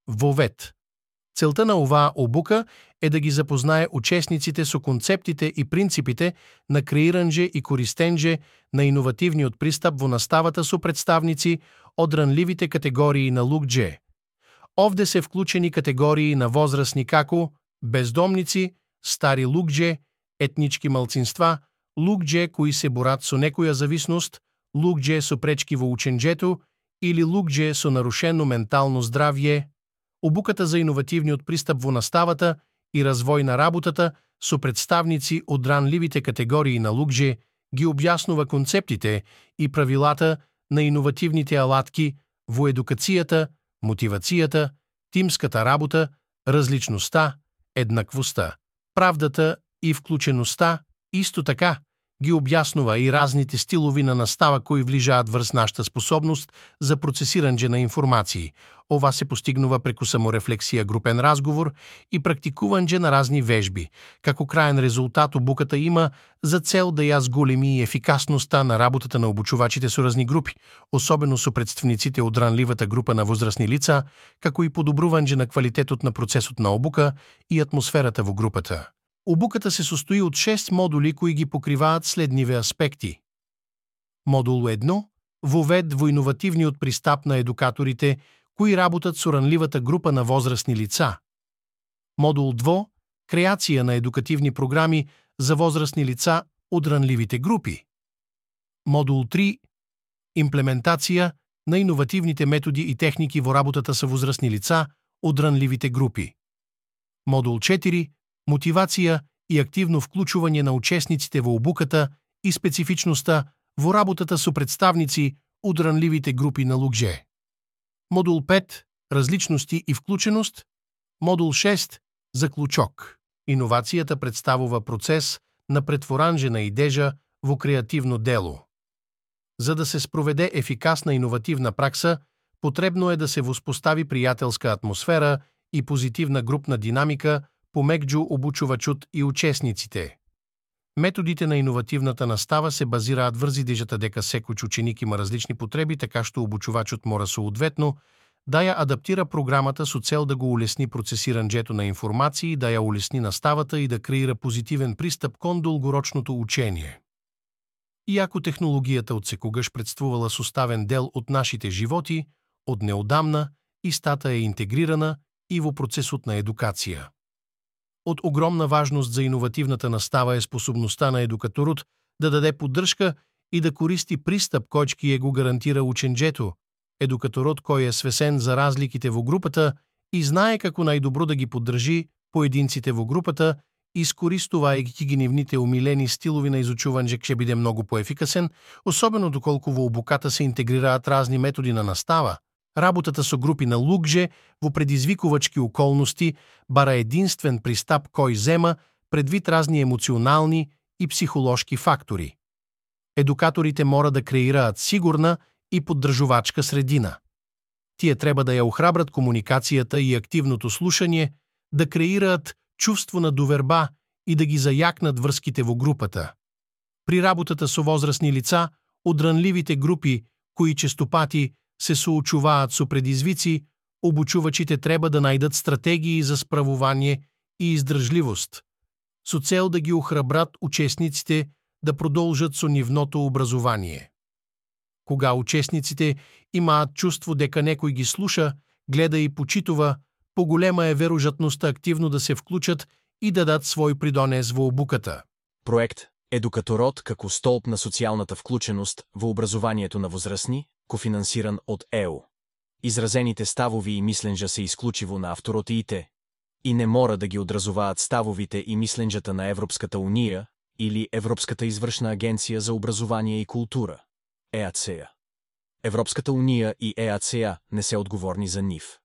ВОВЕД. Целта на оваа обука е да ги запознае учесниците со концептите и принципите на креиранџе и користенџе на иновативниот пристап во наставата со представници од ранливите категории на луѓе. Овде се вклучени категории на возрасни како бездомници, стари луѓе, етнички малцинства, луѓе кои се борат со некоја зависност, луѓе со пречки во учењето или луѓе со нарушено ментално здравје. Обуката за иновативниот пристап во наставата и развој на работата со представници од ранливите категории на луѓе ги објаснува концептите и правилата на иновативните алатки во едукацијата, мотивацијата, тимската работа, различноста, еднаквоста, правдата и вклученоста. Исто така ги објаснува и разните стилови на настава кои влижаат врз нашата способност за процесирање на информации. Ова се постигнува преку саморефлексија, групен разговор и практикување на разни вежби. Како краен резултат, обуката има за цел да ја зголеми ефикасноста на работата на обучувачите со разни групи, особено со представниците од ранливата група на возрастни лица, како и подобрување на квалитетот на процесот на обука и атмосферата во групата. Обуката се состои од 6 модули кои ги покриваат следниве аспекти. Модул 1 – ВОВЕД во иновативниот пристап на едукаторите кои работат со ранливата група на возрастни лица. Модул 2 – креација на едукативни програми за возрастни лица од ранливите групи. Модул 3 – имплементација на иновативните методи и техники во работата со возрастни лица од ранливите групи. Модул 4 – мотивација и активно вклучување на учесниците во обуката и специфичноста во работата со представници од ранливите групи на луѓе. Модул 5 – различности и вклученост. Модул 6 – заклучок. Иновацијата представува процес на претворање на идежа во креативно дело. За да се спроведе ефикасна иновативна пракса, потребно е да се воспостави пријателска атмосфера и позитивна групна динамика помеѓу обучувачот и учесниците. Методите на иновативната настава се базираат врз идежата дека секој ученик има различни потреби, така што обучувачот мора соодветно да ја адаптира програмата со цел да го улесни процесирањето на информации, да ја улесни наставата и да креира позитивен пристап кон долгорочното учење. Иако технологијата отсекогаш представувала составен дел од нашите животи, од неодамна истата е интегрирана и во процесот на едукација. Од огромна важност за иновативната настава е способноста на едукаторот да даде поддршка и да користи пристап кој ќе го гарантира учењето. Едукаторот кој е свесен за разликите во групата и знае како најдобро да ги поддржи поединците во групата, искористувајќи ги нивните умилени стилови на изучување, ќе биде многу поефикасен, особено доколку во обуката се интегрираат разни методи на настава. Работата со групи на луѓе во предизвикувачки околности бара единствен пристап кој зема предвид разни емоционални и психолошки фактори. Едукаторите мора да креираат сигурна и поддржувачка средина. Тие треба да ја охрабрат комуникацијата и активното слушање, да креираат чувство на доверба и да ги зајакнат врските во групата. При работата со возрастни лица од ранливите групи кои честопати се соочуваат со предизвици, обучувачите треба да најдат стратегии за справување и издржливост, со цел да ги охрабрат учесниците да продолжат со нивното образование. Кога учесниците имаат чувство дека некој ги слуша, гледа и почитува, поголема е веројатноста активно да се вклучат и да дадат свој придонес во обуката. Проект Едукаторот како столб на социјалната вклученост во образованието на возрастни, кофинансиран од ЕУ. Изразените ставови и мисленџа се исклучиво на авторот и не мора да ги одразуваат ставовите и мисленџата на Европската Унија или Европската извршна агенција за образование и култура, ЕАЦЕА. Европската Унија и ЕАЦЕА не се одговорни за нив.